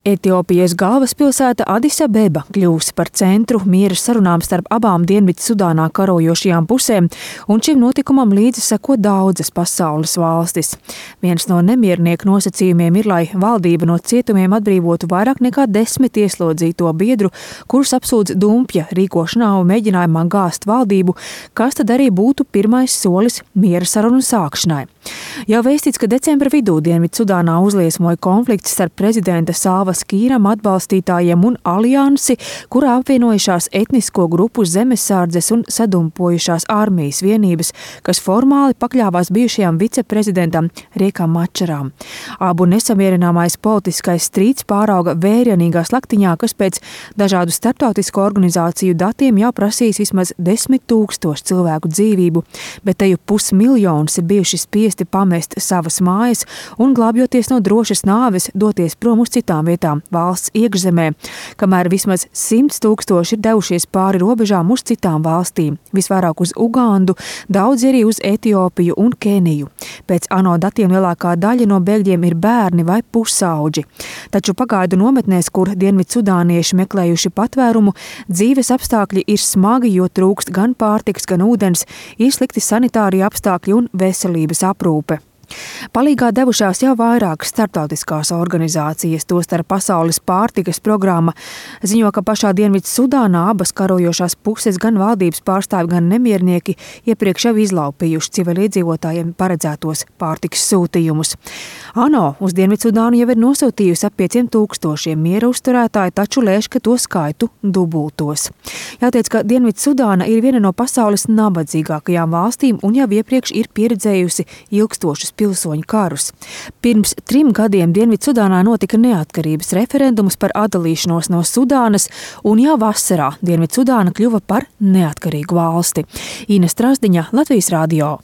Etiopijas galvaspilsēta Adis Abeba kļūs par centru miera sarunām starp abām Dienvidsudānā karojošajām pusēm, un šim notikumam līdzi seko daudzas pasaules valstis. Viens no nemiernieku nosacījumiem ir, lai valdība no cietumiem atbrīvotu vairāk nekā 10 ieslodzīto biedru, kurus apsūdz dumpja rīkošanā un mēģinājumā gāzt valdību, kas tad arī būtu pirmais solis miera sarunu sākšanai. Jau vēstīts, ka decembra vidū Dienvidsudānā uzliesmoja konflikts starp prezidenta Salva Kīram atbalstītājiem un aliansi, kurā apvienojušās etnisko grupu zemesardzes un sadumpojušās armijas vienības, kas formāli pakļāvās bijušajam viceprezidentam Riekam Mačaram. Abu nesamierināmais politiskais strīds pārauga vērienīgā slaktiņā, kas pēc dažādu starptautisko organizāciju datiem jau prasīs vismaz 10 000 cilvēku dzīvību, bet teju 500 000 ir bijuši spiesti pamest savas mājas un, glābjoties no drošas nāves, doties prom uz citām vietām valsts iekšzemē, kamēr vismaz 100 000 ir devušies pāri robežām uz citām valstīm, visvairāk uz Ugandu, daudz arī uz Etiopiju un Keniju. Pēc ANO datiem lielākā daļa no bēgļiem ir bērni vai pusauģi. Taču pagaidu nometnēs, kur dienvidsudānieši meklējuši patvērumu, dzīves apstākļi ir smagi, jo trūkst gan pārtikas, gan ūdens, ir slikti sanitārie apstākļi un veselības aprūpe. Palīgā devušās jau vairākas starptautiskās organizācijas, tostarp Pasaules pārtikas programma, ziņo, ka pašā Dienvidsudānā abas karojošās puses, gan valdības pārstāvi, gan nemiernieki iepriekš jau izlaupījuši civiliedzīvotājiem paredzētos pārtikas sūtījumus. ANO uz Dienvidsudānu jau ir nosūtījusi ap 5 000 miera uzturētāju, taču lēš, ka to skaitu dubultos. Jāteic, ka Dienvidsudāna ir viena no pasaules nabadzīgākajām valstīm un jau iepriekš ir pieredzējusi ilgstošus pilsoņu karus. Pirms 3 gadiem Dienvidsudānā notika neatkarības referendums par atdalīšanos no Sudānas, un jau vasarā Dienvidsudāna kļuva par neatkarīgu valsti. Ines Trasdiņa, Latvijas radio.